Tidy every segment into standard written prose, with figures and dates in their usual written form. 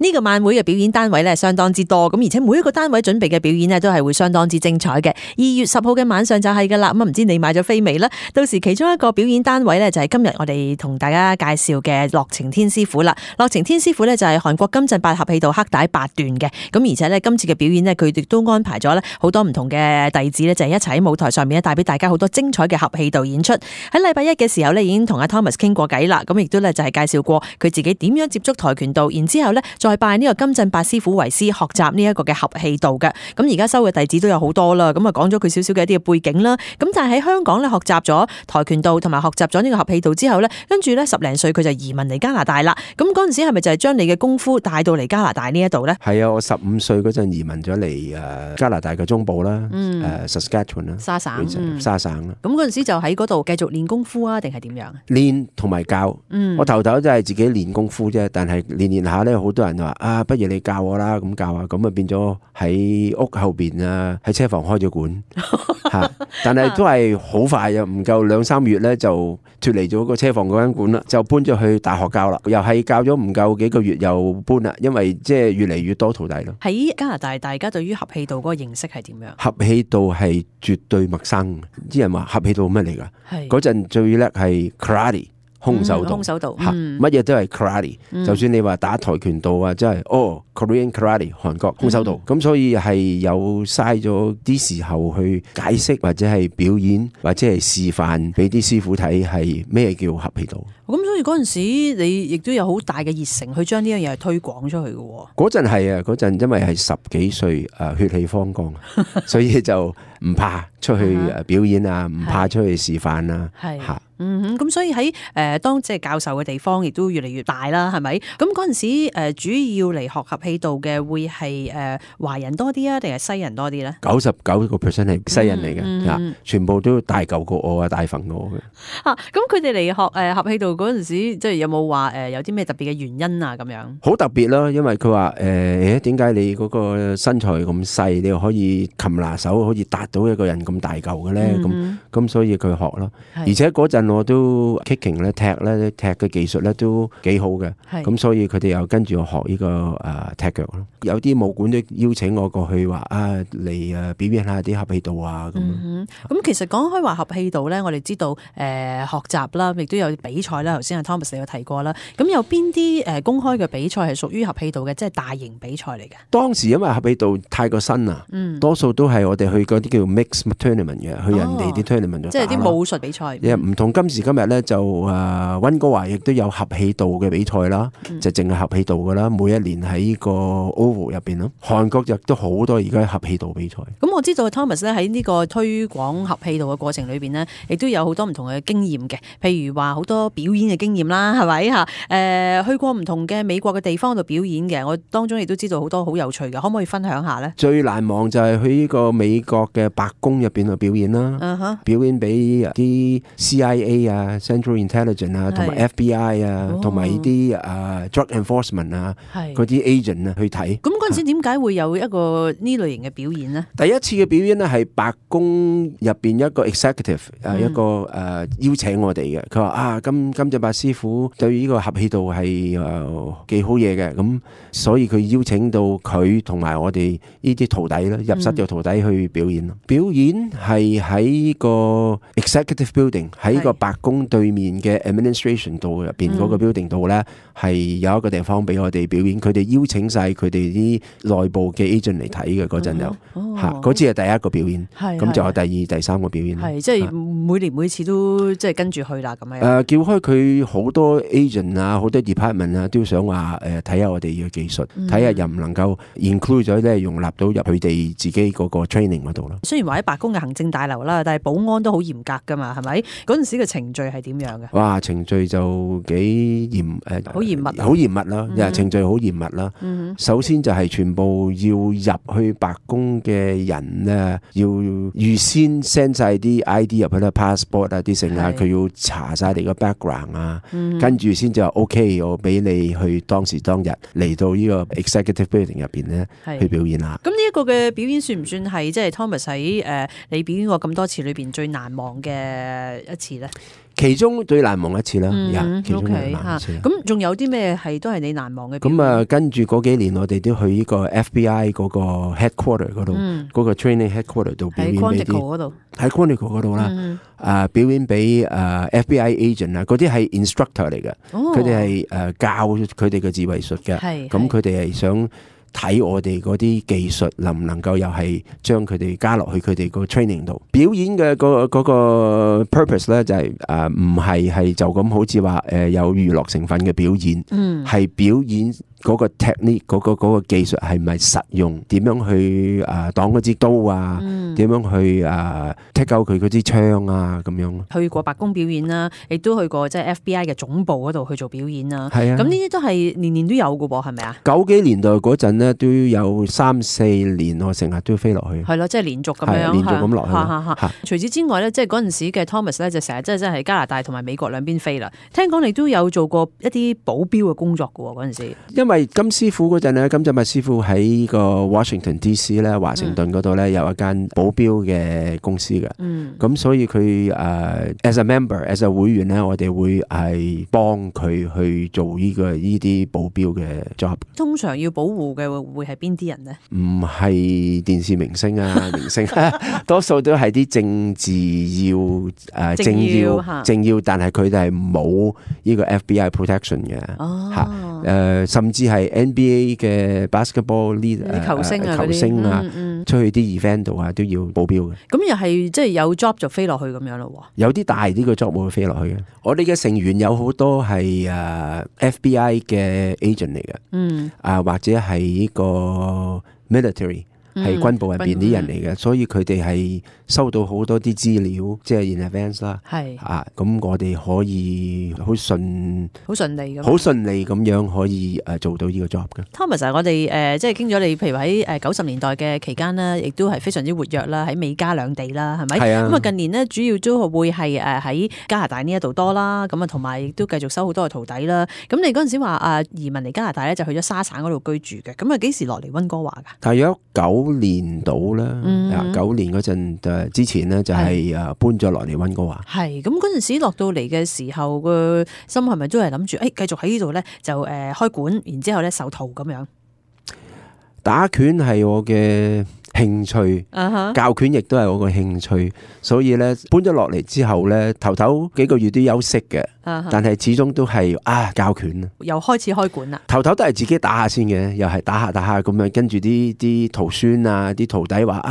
呢個晚會嘅表演單位咧相當之多，咁而且每一個單位準備嘅表演咧都係會相當之精彩嘅。2月10號嘅晚上就係噶啦，咁唔知你買咗飛未呢？到時其中一個表演單位咧就係今日我哋同大家介紹嘅樂晴天師傅啦。樂晴天師傅咧就係韓國金振8合氣道黑帶8段嘅，咁而且咧今次嘅表演咧佢哋都安排咗咧好多唔同嘅弟子咧就係一齊喺舞台上面咧帶俾大家好多精彩嘅合氣道演出。喺禮拜一嘅時候咧已經同阿 Thomas 傾過偈啦，咁亦都咧就係介紹過佢自己點樣接觸跆拳道，然之後咧再拜呢個金振8師傅為師學習呢一個嘅合氣道嘅。咁而家收嘅弟子都有好多啦，咁啊講咗佢少少嘅一啲嘅背景啦。咁但係喺香港咧學習咗跆拳道同埋學習咗呢個合氣道之後咧，跟住咧10零歲佢就移民嚟加拿大啦。咁嗰陣時係咪就係將你嘅功夫帶到嚟加拿大呢一度咧？係啊，我15歲嗰陣移民咗嚟加拿大嘅中部啦，Saskatchewan 啦，沙省，沙省啦。咁嗰陣時就喺嗰度繼續練功夫啊，定係點樣？練同埋教，我頭都係自己練功夫啫，但係練下咧，好多人話啊，不如你教我啦，咁教啊，咁啊變咗喺屋後邊啊，喺車房開咗館嚇，但係都係好快啊，唔夠2-3月咧就脫離咗個車房嗰間館啦，就搬咗去大學教啦，又係教咗唔夠幾個月又搬啦，因為即係越嚟越多徒弟咯。喺加拿大，大家對於合氣道嗰個認識係點樣？合氣道係絕對陌生，啲人話合氣道乜嚟㗎？嗰陣最叻係 karate。空手道，乜嘢都係 karate，就算你話打跆拳道啊，即係Korean karate 韓國空手道，咁所以係有嘥咗啲時候去解釋或者係表演或者係示範俾啲師傅睇係咩叫合氣道。咁所以嗰陣時你亦都有好大嘅熱誠去將呢樣嘢推廣出去嘅喎。嗰陣係啊，嗰陣因為係10幾歲血氣方剛，所以就唔怕出去表演啊，唔怕出去示範啊，嚇。咁所以喺當即係教授嘅地方亦都越嚟越大啦，係咪？咁嗰陣時主要嚟學合氣道嘅會係華人多啲啊，定係西人多啲咧？99% 係西人嚟嘅，全部都大嚿過我啊，大份過我嘅。咁佢哋嚟學合氣道嗰陣時，即係有冇話有啲咩特別嘅原因啊？咁樣好特別咯，因為佢話點解你嗰個身材咁細，你又可以擒拿手，可以達到一個人咁大嚿嘅咧？咁所以佢學咯，而且嗰陣我都 kicking 咧踢嘅技術咧都幾好嘅，咁所以佢哋又跟住我學呢個踢腳咯。有啲武館都邀請我過去話嚟表演下啲合氣道啊咁。咁其實講開話合氣道咧，我哋知道學習啦，亦都有比賽啦。頭先阿 Thomas 你有提過啦。咁有邊啲公開嘅比賽係屬於合氣道嘅，即係大型比賽嚟嘅？當時因為合氣道太過新啦，多數都係我哋去嗰啲叫 mix tournament 嘅，去人哋啲 tournament 度打咯。即係啲武術比賽。唔同今時今日咧就溫哥華亦都有合氣道嘅比賽啦，就淨係合氣道噶啦，每一年喺個 Oval 入邊咯。韓國亦都好多而家合氣道比賽。咁我知道 Thomas 咧喺呢個推廣合氣道嘅過程裏邊呢，亦都有好多唔同嘅經驗嘅，譬如話好多表演嘅經驗啦，係咪嚇？去過唔同嘅美國嘅地方度表演嘅，我當中亦都知道好多好有趣嘅，可唔可以分享下呢？最難忘就係去呢個美國嘅白宮入邊去表演啦，表演俾啲 CIA 啊、Central Intelligence 啊、同埋 FBI 啊、同埋呢啲Drug Enforcement 啊嗰啲 agent 啊去睇。咁嗰陣時點解會有一個呢類型嘅表演呢？第一次嘅表演呢係白宮入邊一個 executive 一個邀請我哋嘅，佢話金振8師傅對呢個合氣道係幾好嘢嘅，咁所以佢邀請到佢同埋我哋呢啲徒弟啦，入室嘅徒弟去表演咯。表演係喺個 executive building，喺個白宮對面嘅 administration 度入邊嗰個 building 度咧，係有一個地方俾我哋表演。佢哋邀請晒佢哋啲內部嘅 agent 嚟睇嘅嗰陣就嗰次係第一個表演，咁就有第二、第三個表演。即係每年每次都即係跟住去啦咁樣。叫開佢好多 agent 啊，好多 department 啊，都想話睇下我哋嘅技術，睇下又唔能夠 include 咗咧，容納到入佢哋自己嗰個 training 嗰度咯。雖然話喺白宮嘅行政大樓啦，但係保安都好嚴格噶嘛，係咪？嗰陣時嘅程序係點樣嘅？哇，程序就幾嚴好嚴密，好嚴密啦，程序好嚴密啦。首先就係全部要入去白宮嘅人咧，要預先 send 晒啲 ID 入去啦 ，passport 啊啲剩啊，佢要查晒你個 background 啊，跟住先就話 OK， 我俾你去當時當日嚟到呢個 executive building 入邊咧去表演啦。咁呢一個嘅表演算唔算係即係 Thomas 喺你表演過咁多次裏邊最難忘嘅一次咧？其中最難忘一次啦，其中最 OK 難忘一次啦。咁仲有啲咩係都係你難忘嘅表演？咁啊，跟住嗰幾年我哋都去呢個 FBI 嗰個 headquarter 嗰度，嗰個 training headquarter 度表演俾啲嗰度，喺 Quantico 嗰度啦，表演俾FBI agent 啊，嗰啲係 instructor 嚟嘅，佢哋係教佢哋嘅自衛術嘅，咁佢哋係想睇我哋嗰啲技術能唔能夠又係將佢哋加落去佢哋個 training 度。表演嘅嗰個 purpose 咧就係唔係就咁好似話有娛樂成分嘅表演，係表演嗰個 technique 嗰個技術係咪實用？點樣去擋嗰支刀啊？點樣去take out佢嗰支槍啊？咁樣。去過白宮表演啦，亦都去過即係 FBI 嘅總部嗰度去做表演啦。係啊，咁呢啲都係年年都有嘅喎，係咪啊？90幾年代嗰陣咧，都有3-4年我成日都飛落去。係咯，即係連續咁樣，連續咁落去。除此之外咧，即係嗰陣時嘅 Thomas 咧，就成日真係加拿大同埋美國兩邊飛啦。聽講你都有做過一啲保鏢嘅工作嘅喎，嗰陣時。因為金師傅嗰陣咧，金振物師傅喺個 Washington DC 咧，華盛頓嗰度咧有一間保鏢嘅公司嘅。咁所以佢as a member，as a 會員咧，我哋會係幫佢去做呢啲保鏢嘅 job。通常要保護嘅會係邊啲人呢？唔係電視明星啊，明星多數都係啲政治政要，但係佢哋係冇呢個 FBI protection 嘅。甚至係 NBA 嘅 basketball leader 球星啊，出去啲 event 度啊都要保鏢嘅。咁又係即係有 job 就飛落去咁樣咯喎。有啲大啲嘅 job 會飛落去嘅。我哋嘅成員有好多係FBI 嘅 agent 嚟嘅，或者係呢個 military。係軍部入邊啲人嚟嘅，所以佢哋係收到好多啲資料，即係 in advance 啦。咁我哋可以好順利咁樣可以做到呢個 job 嘅。Thomas， 我哋即係經咗你，譬如喺90年代嘅期間啦，亦都係非常之活躍啦，喺美加兩地啦，係咪？咁啊近年呢，主要都會係喺加拿大呢一度多啦，咁啊同埋亦都繼續收好多嘅徒弟啦。咁你嗰陣時話移民嚟加拿大咧，就去咗沙省嗰度居住嘅。咁啊幾時落嚟溫哥華㗎？大約9年到啦，9年嗰陣之前呢，就係搬咗落嚟溫哥華。係咁嗰陣時落到嚟嘅時候，個心係咪都係諗住繼續喺呢度咧就開館，然之後咧授徒咁樣？打拳係我嘅興趣，教拳亦都係我個興趣，所以咧搬咗落嚟之後咧，頭幾個月都休息嘅，但係始終都係教拳啊，又開始開館啦。頭都係自己打下先嘅，又係打下咁樣，跟住啲徒孫啊，啲徒弟話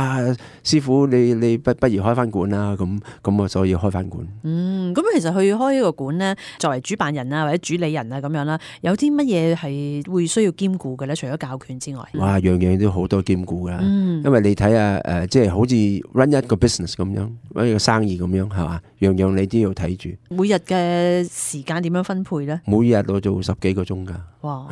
師傅你不如開翻館啦，咁啊所以開翻館。咁其實去開呢個館咧，作為主辦人啊或者主理人啊咁樣啦，有啲乜嘢係會需要兼顧嘅咧？除咗教拳之外，哇，樣樣都好多兼顧噶，因為你睇下即係好似 run 一個 business 咁樣，run 一個生意咁樣係嘛，樣樣你都要睇住。每日嘅時間點樣分配咧？每日我做10幾個鐘噶。哇！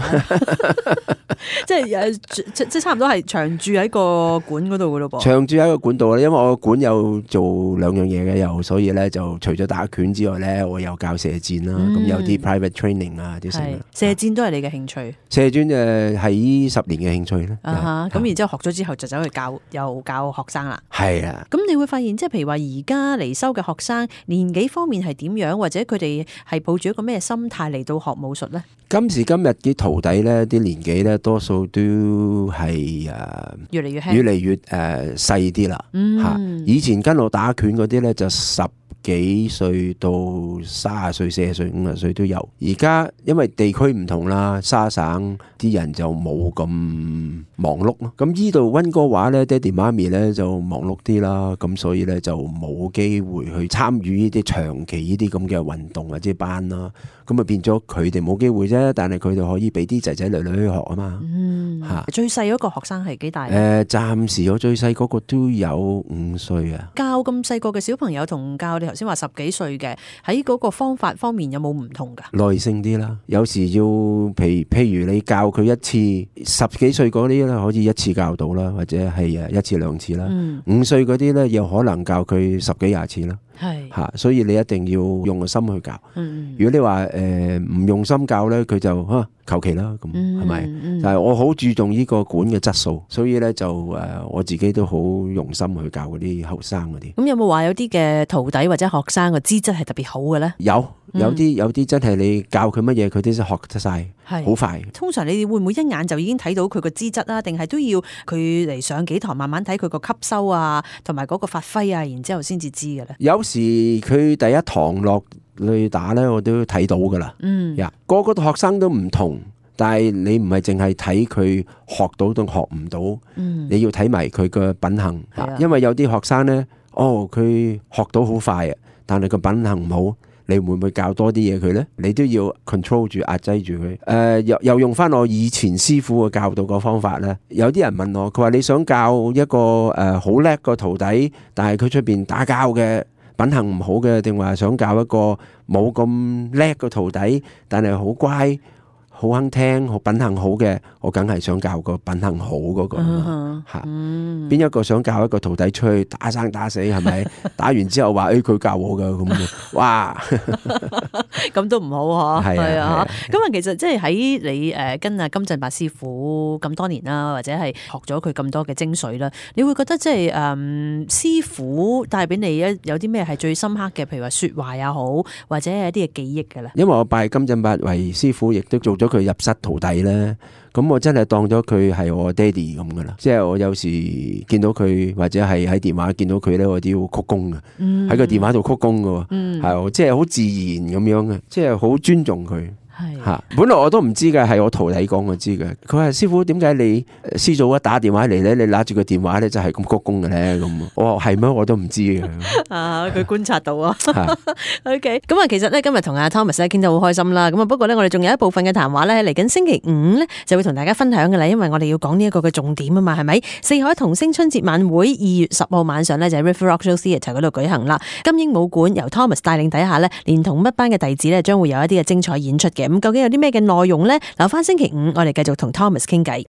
即係差唔多係長住喺個館嗰度噶咯噃。長住喺個館度啦，因為我館有做2樣嘢嘅，所以咧就除咗打拳之外咧，我又教射箭啦，咁有啲 private training 啊啲成。射箭都係你嘅興趣？射箭係10年嘅興趣咧。咁然之後學咗之後就走去又教學生啦。係啊。咁你會發現即係譬如話而家嚟收嘅學生年紀方面係點樣，或者佢哋係抱住一個咩心態嚟到學武術咧？今時今日啲徒弟咧，啲年紀咧多數都係越嚟越細啲啦。以前跟我打拳嗰啲咧就10幾歲到30歲、40歲、50歲都有。而家因為地區唔同啦，沙省啲人就冇咁忙碌咯。咁依度溫哥華咧，爹哋媽咪咧就忙碌啲啦，咁所以咧就冇機會去參與呢啲長期呢啲咁嘅運動或者班啦。咁啊變咗佢哋冇機會啫，但係佢哋可以俾啲仔仔女女去學啊嘛。最細嗰個學生係幾大？暫時我最細嗰個都有5歲啊。教咁細個嘅小朋友同教你頭先話10幾歲嘅，喺嗰個方法方面有冇唔同㗎？耐性啲啦，有時要譬如你教佢一次，10幾歲嗰啲咧可以一次教到啦，或者係1次2次啦。5歲嗰啲咧又可能教佢10幾20次啦。係嚇，所以你一定要用個心去教。如果你話唔用心教咧，佢就求其啦，咁係咪？但係我好注重呢個館嘅質素，所以咧就我自己都好用心去教嗰啲後生嗰啲。咁有冇話有啲嘅徒弟或者學生嘅資質係特別好嘅咧？有啲真係你教佢乜嘢，佢都學得晒，好快。通常你哋會唔會一眼就已經睇到佢個資質啊？定係都要佢嚟上幾堂，慢慢睇佢個吸收啊，同埋嗰個發揮啊，然之後先至知嘅咧？有時佢第一堂落去打咧，我都睇到噶啦。個個學生都唔同，但係你唔係淨係睇佢學到定學唔到，你要睇埋佢嘅品行。因為有啲學生咧，佢學到好快啊，但係個品行唔好，你會唔會教多啲嘢佢呢？你都要 control 住壓制住佢。又用翻我以前師傅嘅教導個方法呢。有啲人問我，佢話你想教一個好叻個徒弟，但係佢出邊打交嘅品行唔好嘅，定話想教一個冇咁叻個徒弟，但係好乖、好肯聽、好品行好嘅，我梗係想教個品行好嗰個嚇。邊一個想教一個徒弟出去打生打死係咪？打完之後話佢教我㗎咁，哇！咁都唔好嗬。係啊。咁其實即係喺你跟阿金振伯師傅咁多年啦，或者係學咗佢咁多嘅精髓啦，你會覺得即係師傅帶俾你有啲咩係最深刻嘅？譬如話説話也好，或者係一啲嘅記憶㗎啦。因為我拜金振伯為師傅，亦都做咗佢入室徒弟咧。咁我真係當咗佢係我爹哋咁噶啦，即係我有時見到佢或者係喺電話見到佢咧，我都要鞠躬嘅，喺個電話度鞠躬嘅，係即係好自然咁樣嘅，即係好尊重佢。嚇！本來我都唔知嘅，係我徒弟講我知嘅。佢話師傅，點解你師祖一打電話嚟咧，你拿住個電話咧就係咁鞠躬嘅咧？咁我話係咩？我都唔知嘅。佢觀察到啊。OK，咁其實咧今日同阿 Thomas 咧傾得好開心啦。咁不過咧我哋仲有一部分嘅談話咧，嚟緊星期五咧就會同大家分享嘅啦。因為我哋要講呢一個嘅重點啊嘛，係咪？四海同聲春節晚會2月10號晚上咧就喺 River Rock Show Theatre 嗰度舉行啦。金鷹舞館由 Thomas 帶領底下咧，連同一班嘅弟子咧，將會有一啲嘅精彩演出嘅。咁究竟有啲咩嘅內容呢？留翻星期五，我哋繼續同 Thomas 傾偈。